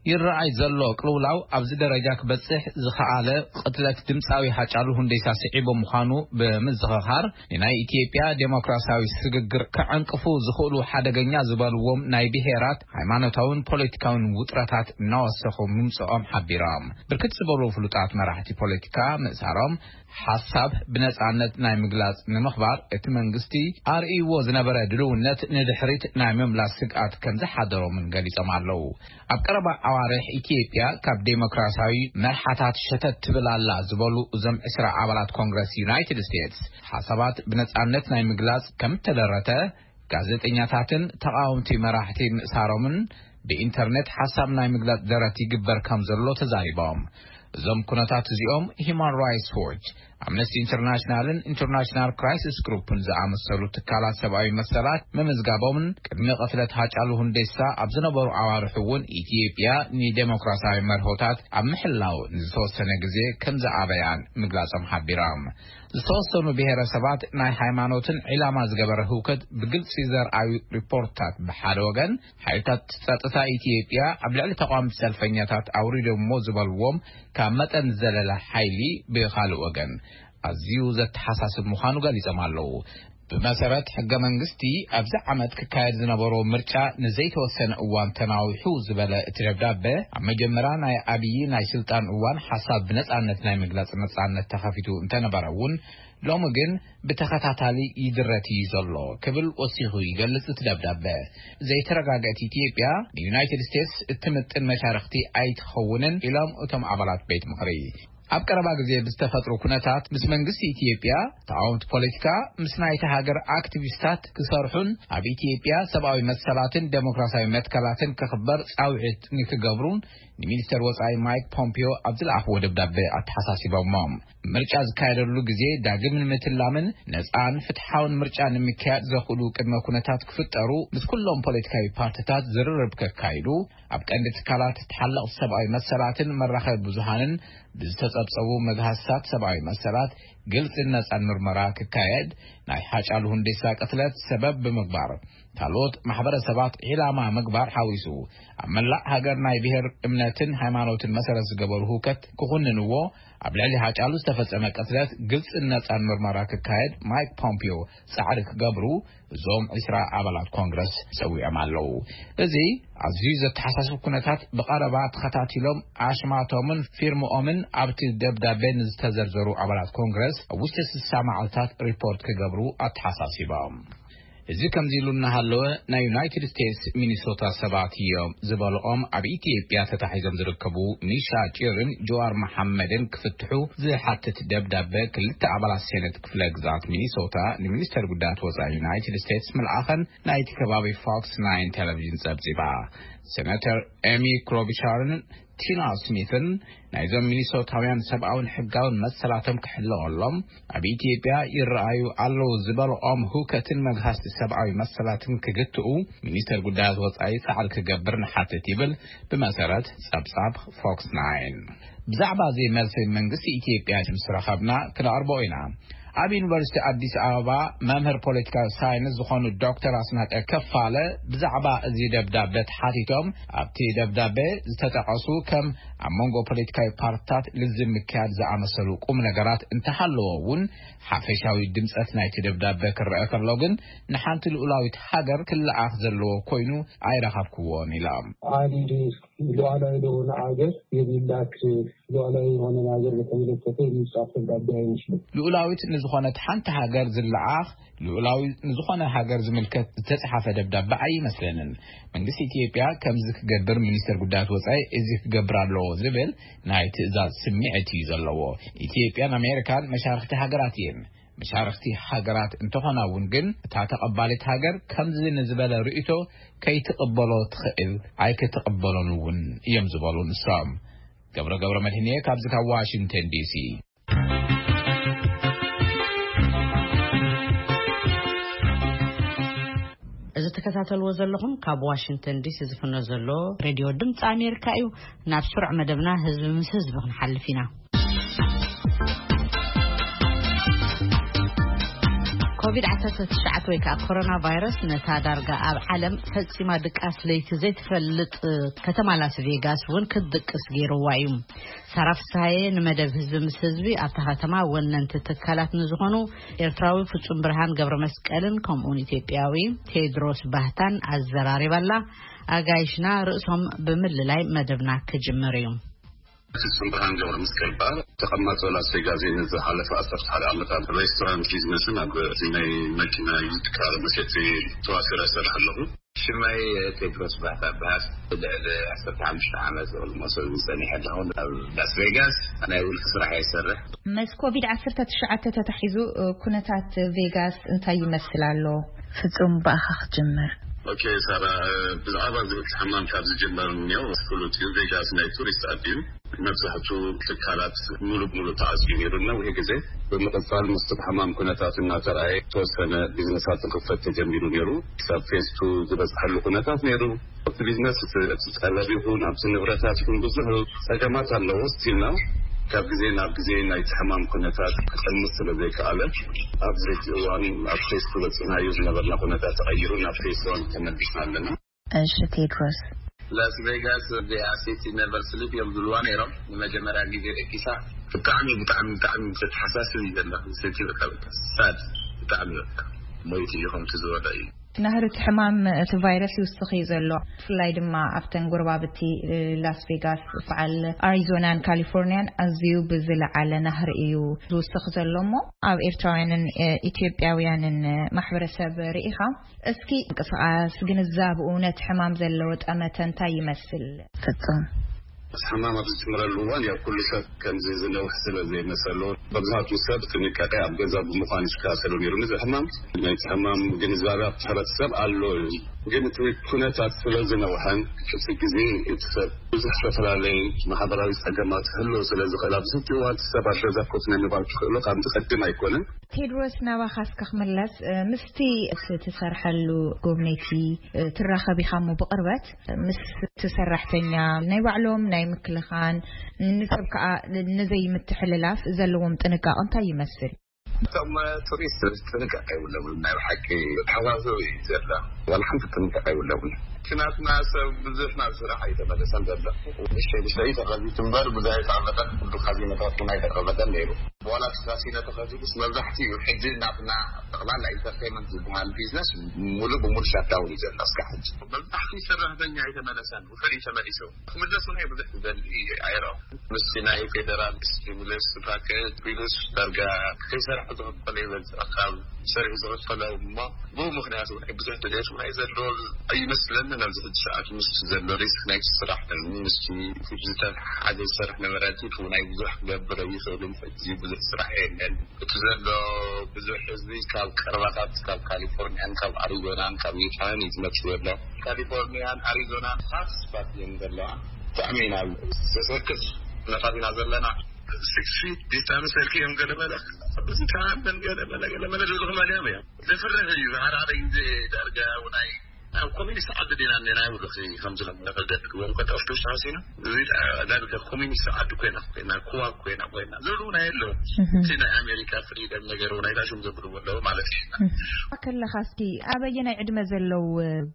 ይረኣይ ዘሎ ቅልውላው ኣብዚ ደረጃ ክበጽሕ ዝኸኣለ ቅትለት ድምጻዊ ሃጫሉ ሁንዴሳ ስዒቡ ምዃኑ ብምዝኽኻር፣ ንናይ ኢትዮጵያ ዴሞክራሲያዊ ስግግር ከዐንቅፉ ዝኽእሉ ሓደገኛ ዝበልዎም ናይ ብሄራት፣ ሃይማኖታውን ፖለቲካውን ውጥረታት እናወሰኹ ምምጽኦም ሓቢሮም። ብርክት ዝበሉ ፍሉጣት መራሕቲ ፖለቲካ ምእሳሮም፣ ሓሳብ ብነጻነት ናይ ምግላጽ ንምኽባር እቲ መንግስቲ ኣርእይዎ ዝነበረ ድልውነት ንድሕሪት ናይ ምምላስ ስግኣት ከም ዝሓደሮምን ገሊጾም ኣለዉ። ኣብ ቀረባ ኣዋርሕ ኢትዮጵያ ካብ ዴሞክራሲያዊ መርሓታት ሸተት ትብል ኣላ ዝበሉ እዞም ዕስራ ኣባላት ኮንግረስ ዩናይትድ ስቴትስ፣ ሓሳባት ብነጻነት ናይ ምግላጽ ከም እተደረተ፣ ጋዜጠኛታትን ተቓወምቲ መራሕቲ ምእሳሮምን ብኢንተርኔት ሓሳብ ናይ ምግላጽ ደረት ይግበር ከም ዘሎ ተዛሪቦም። እዞም ኩነታት እዚኦም ሂማን ራይትስ ዎች፣ ኣምነስቲ ኢንተርናሽናልን ኢንተርናሽናል ክራይሲስ ግሩፕን ዝኣመሰሉ ትካላት ሰብኣዊ መሰላት ምምዝጋቦምን ቅድሚ ቅትለት ሃጫሉ ሁንዴሳ ኣብ ዝነበሩ ኣዋርሕ እውን ኢትዮጵያ ንዴሞክራሲያዊ መርሆታት ኣብ ምሕላው ንዝተወሰነ ግዜ ከም ዝኣበያን ምግላጾም ሓቢሮም። ዝተወሰኑ ብሄረሰባት ናይ ሃይማኖትን ዒላማ ዝገበረ ህውከት ብግልጺ ዘርኣዩ ሪፖርታት ብሓደ ወገን፣ ሓይልታት ጸጥታ ኢትዮጵያ ኣብ ልዕሊ ተቃወምቲ ሰልፈኛታት ኣውሪዶሞ ዝበልዎም ካብ መጠን ዝዘለለ ሓይሊ ብኻልእ ወገን ኣዝዩ ዘተሓሳስብ ምዃኑ ገሊጾም ኣለዉ። ብመሰረት ሕገ መንግስቲ ኣብዚ ዓመት ክካየድ ዝነበሮ ምርጫ ንዘይተወሰነ እዋን ተናዊሑ ዝበለ እቲ ደብዳበ፣ ኣብ መጀመርያ ናይ ኣብዪ ናይ ስልጣን እዋን ሓሳብ ብነጻነት ናይ ምግላጽ ነጻነት ተኸፊቱ እንተነበረ እውን፣ ሎሚ ግን ብተኸታታሊ ይድረት እዩ ዘሎ ክብል ወሲኹ ይገልጽ እቲ ደብዳበ። ዘይተረጋገእት ኢትዮጵያ ንዩናይትድ ስቴትስ እትምጥን መሻርኽቲ ኣይትኸውንን ኢሎም እቶም ኣባላት ቤት ምኽሪ። ኣብ ቀረባ ግዜ ብዝተፈጥሩ ኩነታት ምስ መንግስቲ ኢትዮጵያ፣ ተቃወምቲ ፖለቲካ፣ ምስ ናይቲ ሃገር ኣክቲቪስታት ክሰርሑን ኣብ ኢትዮጵያ ሰብኣዊ መሰላትን ዴሞክራሲያዊ መትከላትን ክኽበር ጻውዒት ንክገብሩን ንሚኒስተር ወጻኢ ማይክ ፖምፒዮ ኣብ ዝለኣኽዎ ደብዳቤ ኣተሓሳሲቦሞ። ምርጫ ዝካየደሉ ግዜ ዳግም ንምትላምን ነጻን ፍትሓውን ምርጫ ንምክያድ ዘኽእሉ ቅድመ ኩነታት ክፍጠሩ ምስ ኩሎም ፖለቲካዊ ፓርቲታት ዝርርብ ከካይዱ፣ ኣብ ቀንዲ ትካላት ተሓለቕቲ ሰብኣዊ መሰላትን መራኸቢ ብዙሃንን ብዝተጸብጸቡ መግሃስታት ሰብኣዊ መሰላት ግልጽን ነጻን ምርመራ ክካየድ፣ ናይ ሃጫሉ ሁንዴሳ ቅትለት ሰበብ ብምግባር ካልኦት ማሕበረሰባት ዒላማ ምግባር ሓዊሱ፣ ኣብ መላእ ሃገር ናይ ብሔር፣ እምነትን ሃይማኖትን መሰረት ዝገበሩ ህውከት ክኹንንዎ፣ ኣብ ልዕሊ ሃጫሉ ዝተፈጸመ ቅትለት ግልጽን ነጻን ምርመራ ክካየድ ማይክ ፖምፒዮ ጻዕሪ ክገብሩ እዞም ዒስራ ኣባላት ኮንግረስ ጸዊዖም ኣለዉ። እዚ ኣዝዩ ዘተሓሳስብ ኩነታት ብቐረባ ተኸታቲሎም ኣሽማቶምን ፊርምኦምን ኣብቲ ደብዳቤ ንዝተዘርዘሩ ኣባላት ኮንግረስ ኣብ ውሽጢ ስሳ መዓልታት ሪፖርት ክገብሩ ኣተሓሳሲቦም። እዚ ከምዚ ኢሉ እናሃለወ፣ ናይ ዩናይትድ ስቴትስ ሚኒሶታ ሰባት እዮም ዝበልኦም ኣብ ኢትዮጵያ ተታሒዞም ዝርከቡ ኒሻ ጭርን ጀዋር መሓመድን ክፍትሑ ዝሓትት ደብዳበ ክልተ ኣባላት ሴነት ክፍለ ግዛት ሚኒሶታ ንሚኒስተር ጉዳያት ወጻኢ ዩናይትድ ስቴትስ ምልኣኸን ናይቲ ከባቢ ፎክስ ናይን ቴሌቪዥን ጸብጺባ። ሴናተር ኤሚ ክሎቢሻርን ቲና ስሚትን ናይዞም ሚኒሶታውያን ሰብኣውን ሕጋውን መሰላቶም ክሕለቐሎም ኣብ ኢትዮጵያ ይረኣዩ ኣለዉ ዝበልኦም ህውከትን መግሃስቲ ሰብኣዊ መሰላትን ክግትኡ ሚኒስተር ጉዳያት ወጻኢ ጻዕሪ ክገብር ንሓትት ይብል ብመሰረት ጸብጻብ ፎክስ ናይን። ብዛዕባ እዚ መልሲ መንግስቲ ኢትዮጵያ ምስ ረኸብና ክነቕርቦ ኢና። ኣብ ዩኒቨርሲቲ ኣዲስ ኣበባ መምህር ፖለቲካዊ ሳይንስ ዝኾኑ ዶክተር ኣስናቀ ከፋለ ብዛዕባ እዚ ደብዳበ ተሓቲቶም ኣብቲ ደብዳበ ዝተጠቐሱ ከም ኣብ መንጎ ፖለቲካዊ ፓርትታት ልዝብ ምክያድ ዝኣመሰሉ ቁም ነገራት እንተሃለዎ እውን ሓፈሻዊ ድምጸት ናይቲ ደብዳበ ክረአ ከሎ ግን ንሓንቲ ልኡላዊት ሃገር ክለኣኽ ዘለዎ ኮይኑ ኣይረኸብክዎን ኢሎም። ዓሊ ሉዓላዊ ለሆነ ሀገር የሚላክ ሉዓላዊ የሆነ ሀገር በተመለከተ የሚጻፍ ደብዳቤ አይመስልም። ልኡላዊት ንዝኾነት ሓንቲ ሃገር ዝለኣኽ ልኡላዊ ንዝኾነ ሃገር ዝምልከት ዝተጻሓፈ ደብዳቤ ኣይመስለንን። መንግስቲ ኢትዮጵያ ከምዚ ክገብር ሚኒስተር ጉዳያት ወጻኢ እዚ ክገብር ኣለዎ ዝብል ናይ ትእዛዝ ስምዒት እዩ ዘለዎ። ኢትዮጵያን ኣሜሪካን መሻርክቲ ሃገራት እየን። መሻርክቲ ሃገራት እንተኾና እውን ግን እታ ተቐባሊት ሃገር ከምዚ ንዝበለ ርእይቶ ከይትቕበሎ ትኽእል ኣይክትቕበሎን እውን እዮም ዝበሉ ንሶም። ገብረ ገብረ መድህንየ ካብዚ ካብ ዋሽንግተን ዲሲ። እዚ ትከታተልዎ ዘለኹም ካብ ዋሽንግተን ዲሲ ዝፍኖ ዘሎ ሬድዮ ድምፂ ኣሜሪካ እዩ። ናብ ስሩዕ መደብና ህዝቢ ምስ ህዝቢ ክንሓልፍ ኢና። ኮቪድ ዓሰርተ ትሽዓተ ወይ ከዓ ኮሮና ቫይረስ ነታ ዳርጋ ኣብ ዓለም ፈፂማ ድቃስ ለይቲ ዘይትፈልጥ ከተማ ላስ ቬጋስ እውን ክትድቅስ ገይርዋ እዩ። ሳራ ፍስሃየ ንመደብ ህዝቢ ምስ ህዝቢ ኣብታ ከተማ ወነንቲ ትካላት ንዝኾኑ ኤርትራዊ ፍጹም ብርሃን ገብረ መስቀልን ከምኡውን ኢትዮጵያዊ ቴድሮስ ባህታን ኣዘራሪባላ። ኣጋይሽና ርእሶም ብምልላይ መደብና ክጅምር እዩ። ፍጹም ብርሃን ገብረ መስቀል በሃል። ተቐማጦ ላስ ቬጋስ እየ። ንዝሓለፈ ዓሰርተ ሓደ ዓመታት ሬስቶራንት ቢዝነስን ኣብ ናይ መኪና ዩዝድ ካር መሸጢ ተዋፊረ እሰርሕ ኣለኹ። ሽመይ ቴድሮስ ባህታ በሃል። ልዕሊ ዓሰርተ ሓሙሽተ ዓመት ኦልሞስት ጸኒሐ ኣለኹ ኣብ ላስ ቬጋስ። ናይ ውልቂ ስራሕ እየ ዝሰርሕ። ምስ ኮቪድ ዓሰርተ ትሽዓተ ተታሒዙ ኩነታት ቬጋስ እንታይ ይመስል ኣሎ? ፍጹም ብኣኻ ክጅምር። ኦኬ ሳራ፣ ብዛዕባ እዚ ሕማም ካብ ዝጅመር እኒኦ ፍሉጥ እዩ። ቬጋስ ናይ ቱሪስት ዓዲ እዩ። መብዛሕቱ ትካላት ሙሉ ብሙሉ ተዓፅዩ ነይሩ ነዊሕ ግዜ። ብምቕፃል ምስቲ ሕማም ኩነታት እናተረኣየ ዝተወሰነ ቢዝነሳት ክኽፈት ተጀሚሩ ነይሩ። ክሳብ ፌስቱ ዝበፅሐሉ ኩነታት ነይሩ። እቲ ቢዝነስ እቲ፣ እቲ ጠለብ ይኹን ኣብቲ ንብረታት ይኹን ብዙሕ ፀገማት ኣለዎ። ስቲል ነው ካብ ግዜ ናብ ግዜ ናይቲ ሕማም ኩነታት ክቐንስ ስለ ዘይከኣለ ኣብዚ ሕጂ እዋን ኣብ ፌስቱ በፂሕናዮ ዝነበርና ኩነታት ተቐይሩ ናብ ፌስ ዋን ተመሊስና ኣለና። እሺ ቴድሮስ። ላስ ቬጋስ ዲኣ ሲቲ ነቨር ስሊፕ እዮም ዝብልዋ ነይሮም። ንመጀመርያ ግዜ ደቂሳ ብጣዕሚ ብጣዕሚ ብጣዕሚ ዘተሓሳስብ እዩ ዘሎ። ሲቲ በቃ ሳድ ብጣዕሚ በቃ ሞይቱ እዩ ከምቲ ዝበሎ እዩ። ናህሪ እቲ ሕማም እቲ ቫይረስ ይውስኽ እዩ ዘሎ። ብፍላይ ድማ ኣብተን ጎረባብቲ ላስ ቬጋስ በዓል ኣሪዞናን ካሊፎርኒያን ኣዝዩ ብዝለዓለ ናህሪ እዩ ዝውስኽ ዘሎ እሞ ኣብ ኤርትራውያንን ኢትዮጵያውያንን ማሕበረሰብ ርኢኻ እስኪ ምንቅስቓስ ግንዛብኡ ነቲ ሕማም ዘለዎ ጠመተ እንታይ ይመስል? ፍጹም። ሕማም ኣብ ዝጅምረሉ እዋን ያው ኩሉ ሰብ ከምዚ ዝነውሕ ስለ ዘይመሰሎ፣ መብዛሕትኡ ሰብ ጥንቃቄ ኣብ ገዛ ብምዃን ይከታተሎ ነይሩ። ነዚ ሕማም፣ ናይቲ ሕማም ግንዛቤ ኣብቲ ሕብረተሰብ ኣሎ እዩ። ግን እቲ ኩነታት ስለ ዝነውሐን እቲ ግዜ እቲ ሰብ ብዙሕ ዝተፈላለየ ማሕበራዊ ጸገማት ክህልዎ ስለ ዝኽእል፣ ኣብዚ ሕጂ እዋን እቲ ሰብ ኣብ ገዛ ኮፍ ናይ ምባል ክኽእሎ ካብ ዝቐድም ኣይኮነን። ቴድሮስ፣ ናባኻ እስከ ክምለስ፣ እ፣ ምስቲ እቲ ትሰርሐሉ ጎብነይቲ፣ እ፣ ትራኸብ ኢኻ እሞ ብቕርበት ምስ እቲ ሰራሕተኛ ናይ ባዕሎም ናይ ምክልኻን ንሰብ ከኣ ንዘይምትሕልላፍ ዘለዎም ጥንቃቐ እንታይ ይመስል? እቶም ቱሪስት ጥንቃቄ የብሎምን። ናይ ብሓቂ ተሓሳስብ እዩ ዘሎ። ዋላ ሓንቲ ጥንቃቄ የብሎምን። እቲ ናትና ሰብ ብዙሕ ናብ ስራሕ ኣይተመለሰን ዘሎ። ንእሽተይ ንእሽተይ ተኸፊቱ እምበር ብዙሕ ኣይተቐመጠን። ኩሉ ካዚኖታት እውን ኣይተቐመጠን ነይሩ። ዋላ እቲ ካሲኖ ተኸፊቱስ መብዛሕትኡ ሕጂ ናትና ጠቕላላ ኢንተርቴይንመንት ዝበሃል ቢዝነስ ሙሉእ ብሙሉእ ሻትዳውን እዩ ዘሎ እስካብ ሕጂ። መብዛሕትኡ ሰራሕተኛ ኣይተመለሰን፣ ውሑድ እዩ ተመሊሱ። ክምለስ እውን ብዙሕ ዝደሊ ኣይረኣኹን። ምስቲ ናይ ፌደራል ስቲሙለስ ፓኬጅ ቢሉስ ዳርጋ ከይሰርሐ ዝኸፈለ ይበዝሕ ካብ ሰሪሑ ዝኸፈለ እሞ ብኡ ምኽንያት እውን ብዙሕ ድሌት እውን ኣይዘለዎ ኣይመስለንን። ኣብዚ ሕጂ ሰዓት ምስ ዘሎ ሪስክ ናይቲ ስራሕ ምስቲ ዝተሓሓዘ ዝሰርሕ ነበረ። እቲ ናይ ብዙሕ ክገብር ኣይኽእልን። ሕጂ ብዙሕ ስራሕ የለን። እቲ ዘሎ ብዙሕ ህዝቢ ካብ ቀረባታት ካብ ካሊፎርኒያን ካብ ኣሪዞናን ካብ ዩታን እዩ ዝመጽእ ዘሎ። ካሊፎርኒያን ኣሪዞናን ሃትስፓት እየን ዘለዋ። ብጣዕሚ ኢና ዘሰክፍ ኩነታት ኢና ዘለና። ሲክስ ፊት ዲስታንስ ኢልክዮም ገለ መለ ብዙ ተኣምን ገለ መለ ገለ መለ ዝብሉ ክመልዮም እዮም። ዘፍርህ እዩ። ዝሓራረ ግዜ ዳርጋ ናይ ኣብ ኮሚኒስት ዓዲ ዲና እኒና ይብሉ። እዚ ከምዚ ከም ነገር ገድግዎም ከጠፍቱ ተሃሲና እዚ ዳርጋ ኮሚኒስት ዓዲ ኮይና ኮይና ክዋብ ኮይና ኮይና ዝብሉ እውን ኣየለዉ። እቲ ናይ ኣሜሪካ ፍሪደም ነገር እውን ኣይታሽም ዘብልዎ ኣለዉ ማለት እዩ። ከለኻ እስኪ ኣበየናይ ዕድመ ዘለዉ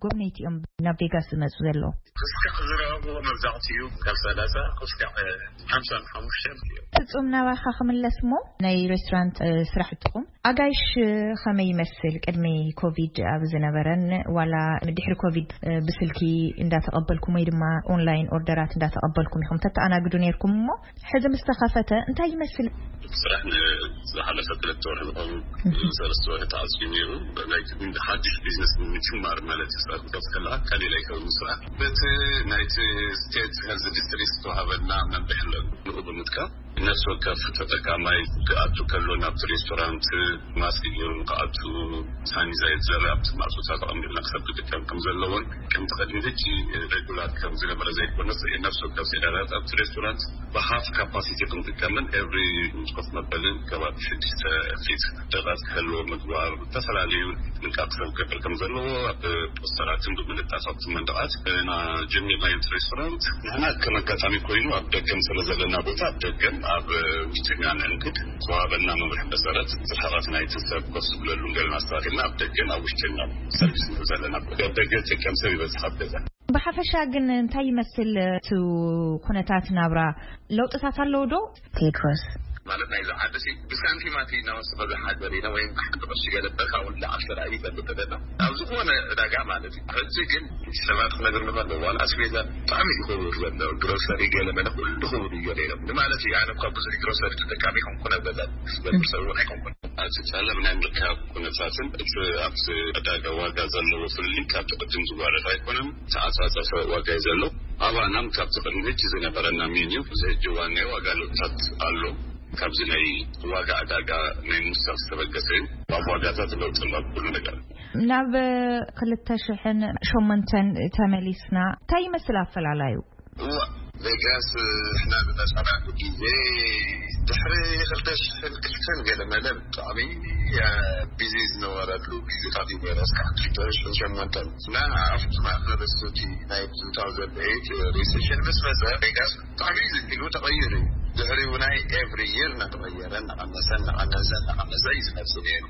ጎብነይቲ እዮም ናብ ቬጋስ ዝመፁ ዘለዉ? ክስካዕ ዝረኸብዎ መብዛሕትኡ ካብ ሰላሳ ክስካዕ ሓምሳን ሓሙሽተን እዮም። ፍጹም፣ ናባኻ ክምለስ እሞ ናይ ሬስቶራንት፣ እ፣ ስራሕትኹም ኣጋይሽ ከመይ ይመስል? ቅድሚ ኮቪድ ኣብ ዝነበረን ዋላ ድሕሪ ኮቪድ፣ እ፣ ብስልኪ እንዳተቐበልኩም ወይ ድማ ኦንላይን ኦርደራት እንዳተቐበልኩም ኢኹም ተተኣናግዱ ነይርኩም እሞ ሕዚ ምስ ተኸፈተ እንታይ ይመስል? ስራሕ ንዝሓለፈ ክልተ ወርሒ ዝኸውን ሰለስተ ወርሒ ተዓፅዩ ነይሩ። ናይቲ ሓድሽ ቢዝነስ ንምጅማር ማለት እዩ። ስራሕ ክትከፍት ከለካ ካልእ ኣይከውን ስራሕ። በቲ ናይቲ ስቴት ሄልዝ ዲስትሪክት ዝተዋሃበና መምርሒ ኣሎ። ንኡ ብምጥቃም ነፍሲ ወከፍ ተጠቃማይ ክኣቱ ከሎ ናብቲ ሬስቶራንት ማስክ ገይሩ ንክኣቱ፣ ሳኒታይዘር ኣብቲ ማእቶታት ኣቐሚጥና ክሰብ ክጥቀም ከም ዘለዎን ከምቲ ቅድሚ ሕጂ ሬጉላር ከም ዝነበረ ዘይኮነስ ነፍሲ ወከፍ ሴዳታት ኣብቲ ሬስቶራንት ብሃፍ ካፓሲቲ ክንጥቀምን ኤቭሪ ምስ ኮፍ መበልን ከባቢ ሽዱሽተ ፊት ደቃት ክህልዎ ምግባር፣ ዝተፈላለዩ ጥንቃቄ ሰብ ክገብር ከም ዘለዎ ኣብ ፖስተራትን ብምልጣፍ ኣብቲ መንደቓት እና ጀሚርናዮ። እቲ ሬስቶራንት ንሕና ከም ኣጋጣሚ ኮይኑ ኣብ ደገን ስለ ዘለና ቦታ ኣብ ደገን ኣብ ውሽጥኛ ንእንግድ ዝተዋሃበና መምርሒ መሰረት ዝርሕቐት ናይቲ ሰብ ኮፍ ዝብለሉ ገለና ኣስተካኪልና ኣብ ደገን ኣብ ውሽጥን ሰርቪስ ንህብ ዘለና። ኣብ ደገ ዝጥቀም ሰብ ይበዝሕ ኣብ ገዛ። ብሓፈሻ ግን እንታይ ይመስል እቲ ኩነታት ናብራ? ለውጥታት ኣለዉ ዶ? ቴድሮስ። ማለት ናይዚ ዓዲ ሲ ብሳንቲማት ኢና ወስኸ ዝሓደር ኢና ወይ ሓንቲ ቅርሺ ገለ በርካ እውን ላዕል ሰላኢ ይፈልጥ ኣለና። ኣብ ዝኾነ ዕዳጋ ማለት እዩ። ሕጂ ግን ሰባት ክነግር ንኸሎ ዋላ ኣስቤዛ ብጣዕሚ እዩ ክቡር ዘሎ። ግሮሰሪ ገለ መለ ኩሉ ክቡር እዩ ገለ ኢሎም። ንማለት እዩ ኣነ እኳ ብዙሕ ግሮሰሪ ተጠቃሚ ኣይኮንኩን፣ ኣብ ገዛ ዝገብር ሰብ እውን ኣይኮንኩን። ኣብቲ ጸለብ ናይ ምርካብ ኩነታትን እቲ ኣብቲ ዕዳጋ ዋጋ ዘለዎ ፍልልይ ካብቲ ቅድም ዝዋረድ ኣይኮነን። ተዓጻጸፈ ዋጋ እዩ ዘሎ። ኣባናም ካብቲ ቅድሚ ሕጂ ዝነበረና ሜንዩ እዚ ሕጂ እዋን ናይ ዋጋ ለውጥታት ኣሎ። ካብዚ ናይ ዋጋ ዕዳጋ ናይ ምውሳኽ ዝተበገሰ እዩ። ኣብ ዋጋታት ለውጢ ኣሎ ኣብ ኩሉ ነገር። ናብ ክልተ ሽሕን ሸሞንተን ተመሊስና እንታይ ይመስል ኣፈላላዩ? እዋ፣ ቬጋስ ንሕና ዝመጻናሉ ግዜ ድሕሪ ክልተ ሽሕን ክልተን ገለ መለ ብጣዕሚ፣ እ፣ ቢዚ ዝነበረሉ ግዜታት እዩ ነይሩ። እስካዕ ክልተ ሽሕን ሸሞንተን እና ኣብቲ ማእከል እቲ ናይ ቱ ታውዘንድ ኤይት ሪሴሽን ምስ መጸ ቬጋስ ብጣዕሚ ዝኪሉ ተቐይሩ እዩ። ድሕሪኡ ናይ ኤቭሪ ይር እናተቐየረ እናቐነሰ እናቐነሰ እናቐነሰ እዩ ዝመጽእ ነይሩ።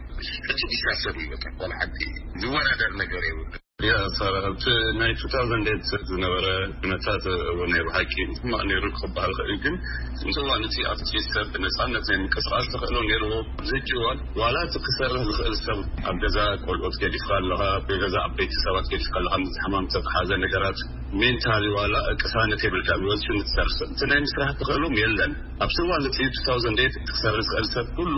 ሕጂ ዲሳስተር እዩ በቃ፣ ዋላ ሓንቲ ዝወዳደር ነገር የብሉ። ያ ሳራ፣ ኣብቲ ናይ ቱ ታውዘንድ ኤይት ዝነበረ ኩነታት እውን ናይ ብሓቂ ሕማቕ ነይሩ ክበሃል ይኽእል እዩ። ግን እቲ እዋን እቲ ኣብቲ ሰብ ብነፃነት ናይ ምንቅስቓስ ተኽእሎ ነይርዎ። ኣብዚ ሕጂ እዋን ዋላ እቲ ክሰርሕ ዝኽእል ሰብ ኣብ ገዛ ቆልዑት ገዲፍካ ኣለኻ፣ ኣብ ገዛ ዓበይቲ ሰባት ገዲፍካ ኣለኻ፣ ምስ ሕማም ዝተተሓዘ ነገራት ሜንታሊ ዋላ ቅሳነት የብልካ፣ ወፂኡ ንትሰርሕ ሰብ እቲ ናይ ምስራሕ ተኽእሎም የለን። ኣብቲ እዋን እቲ ቱ ታውዘንድ ኤይት ክሰርሕ ዝኽእል ሰብ ኩሉ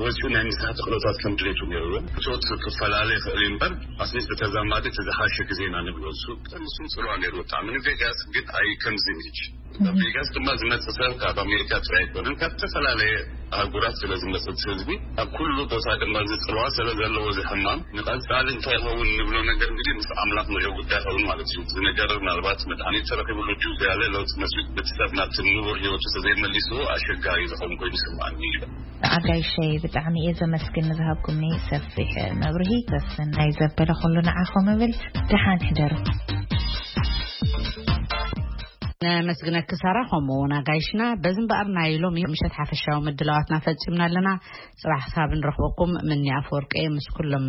ወፂኡ ናይ ምስራሕ ተኽእሎታት ከም ድሌቱ ነይርዎ። እቶት ክፈላለ ይኽእል እዩ እምበር ኣትሊስት ብተዛማዲ እቲ ዝሓሸ ግዜና ንብሎ እሱ ብጣዕሚ እሱም ፅልዋ ነይርዎ ብጣዕሚ። ንቬጋስ ግን ኣይ ከምዚ ምች ካብ ቬጋስ ድማ ዝመጽእ ሰብ ካብ ኣሜሪካ ጥራይ ኣይኮነን፣ ካብ ዝተፈላለየ ኣህጉራት ስለ ዝመጽእ ህዝቢ ኣብ ኩሉ ቦታ ድማ ዝጽልዋ ስለ ዘለዎ ዝሕማም ንቐጻሊ እንታይ ይኸውን ንብሎ ነገር እንግዲህ ምስ ኣምላኽ ንሪኦ ጉዳይ ይኸውን ማለት እዩ። እዚ ነገር ምናልባት መድሃኒት ተረኺብሉ ድዩ ዝያለ ለውጢ መፅኡ በቲ ሰብ ናብቲ ንቡር ህይወቱ ተዘይመሊስዎ ኣሸጋሪ ዝኸውን ኮይኑ ይስምዓኒ ይብል። ኣጋይሸይ ብጣዕሚ እየ ዘመስግን ንዝሃብኩምኒ ሰፊሕ መብርሂ። ሰሰናይ ዘበለ ኩሉ ንዓኹም እብል። ደሓን ሕደሩ። ነመስግነኪ ሳራ፣ ከምኡ እውን ኣጋይሽና። በዚ እምበኣር ናይ ሎሚ ምሸት ሓፈሻዊ ምድላዋትና ፈጺምና ኣለና። ጽባሕ ክሳብ ንረኽበኩም ምኒ ኣፈወርቂ ምስ ኩሎም